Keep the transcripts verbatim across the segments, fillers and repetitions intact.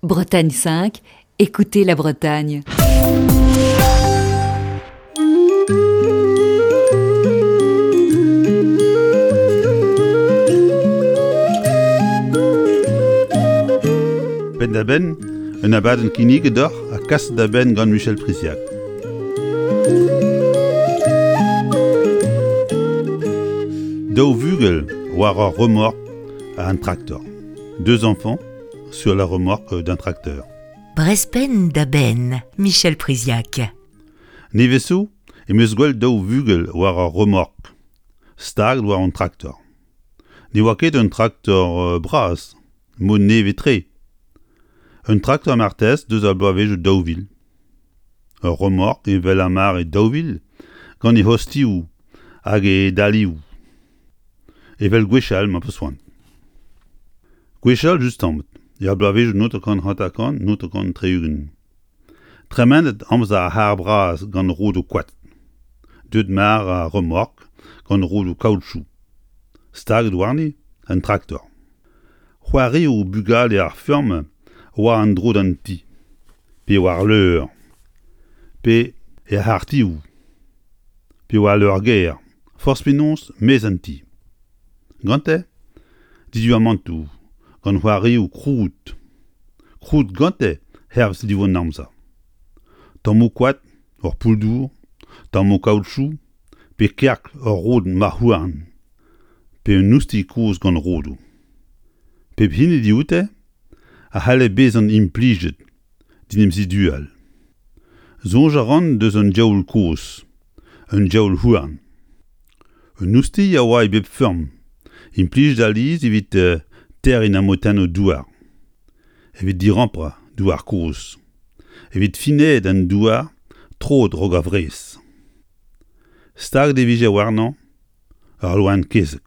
Bretagne cinq, écoutez la Bretagne. Penn da benn, un abadenn kinniget deoc'h ha kaset da benn gant Michel Priziac. Daou vugel war ur remork a un traktor. Deux enfants sur la remorque d'un tracteur. Brezh penn da benn, Michel Priziac. Nevez zo em eus gwelet daou vugel war ur remork, staget war un traktor. Ne oa ket un traktor euh, bras, mod nevez-tre. Un traktor martez deus ar bloavezhioù daou vil. Ur remork evel ar mare daou vil, gant e ostilhoù hag e dalioù. Evel gwechall ma peus c'hoant. Gwechall justamant, er bloavezhioù naontek hanter-kant, naontek tri-ugent. Tremenet amzer ar c'harr bras gant rodoù koad. Deuet mare ar remork gant rodoù kaoutchou. Staget warni un traktor. C'hoarioù bugale ar feurm oa en-dro d'an ti, pe war leur, pe er c'harrtioù, pe war leur-gêr, forzh penaos maez an ti. Gante, diduamantoù, gant c'hoarioù krouet. Krouet gante hervez liv an amzer. Tammoù koad, ur poull-dour, tammoù kaoutchou, pe kerk ur rod marc'h-houarn, pe un oustilh kozh gant rodoù. Pep hini dioute a c'halle bezañ implijet d'en em zidual. Soñj a ran deus un diaoul kozh, un diaoul houarn. Un oustilh a oa e bep furm, implijet alies evit euh, terriñ ar motennoù douar, evit dirampañ douar kozh, evit finaat an douar troet raok ar wrez. Staget e vije warnañ ur loen kezeg.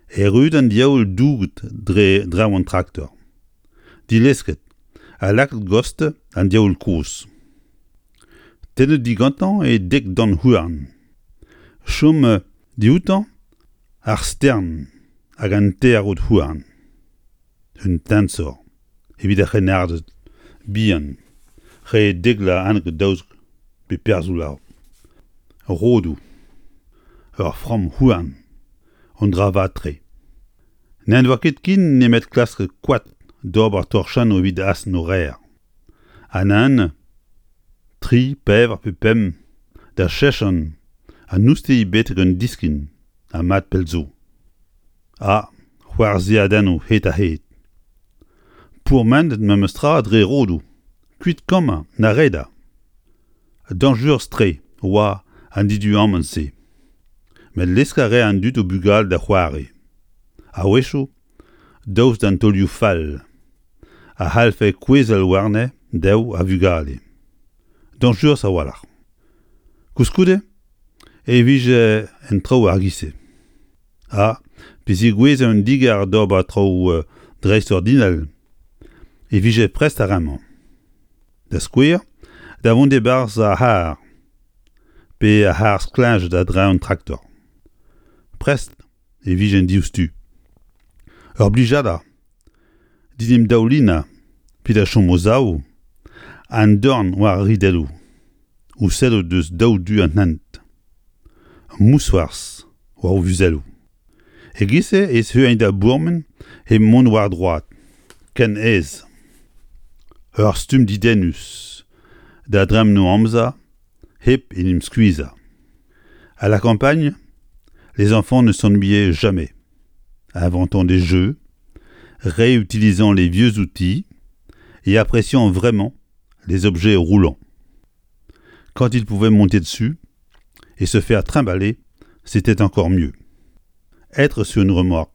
Erruet an diaoul douget dre draoñ an traktor. Dilesket ha lakaet gost an diaoul kozh. Tennet digantañ e dek dant houarn. Chom dioutañ ar stern hag an teir rod houarn. Un teñzor evit ar c'hrennarded bihan re dek vloaz hanter daouzek pe pevarzek vloaz. Rodoù. Ur framm houarn. Un dra vat-tre. N'en doa ket ken nemet klask koad d'ober torchennoù evit astenn o reer. Ha neuze, tri, pevar pe pemp, da chechan an oustilh betek un diskin ha mat pell zo. Ha c'hoarzhadennoù hed-ha-hed. Pourmenet memestra dre rodoù, kuit kammañ na redañ. Dañjerus-tre oa an diduamant-se. Met lesk a rae an dud o bugale da c'hoari. A-wechoù, daoust d'an taolioù fall, a c'hallfe kouezhal warne dezho a vugale. Dañjerus a-walc'h. Koulskoude e vije en traoù ar giz-se. Ha, pe zegouezhe un digar d'ober traoù euh, dreistordinal, e vije prest ar re-mañ. Da skouer, da vont e-barzh ar c'harr, pe ar c'harr stlejet a-dreñv an traktor. Prest e vijent diouzhtu. Ur blijadur, d'en em daoulinañ pe da chom o-sav, an dorn war ar ridelloù, o sellout deus daou du an hent. Mousc'hoarzh war o muzelloù. E-giz-se e zeuint da bourmen hep mont war droad, ken aes. Ur stumm dedennus da dremen o amzer hep en em skuizhañ. À la campagne, les enfants ne s'ennuyaient jamais, inventant des jeux, réutilisant les vieux outils et appréciant vraiment les objets roulants. Quand ils pouvaient monter dessus et se faire trimballer, c'était encore mieux. Être sur une remorque,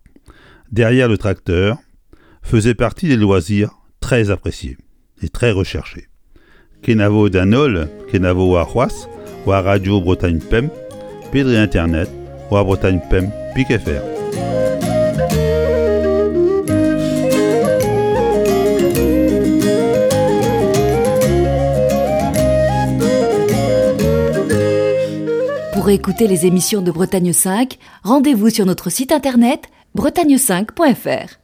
derrière le tracteur, faisait partie des loisirs très appréciés et très recherchés. Kenavo d'an holl, kenavo warc'hoazh, war Radio Bretagne Pemp, pe dre internet, war Bretagne Pemp pik F R. Pour écouter les émissions de Bretagne cinq, rendez-vous sur notre site internet bretagne cinq point F R.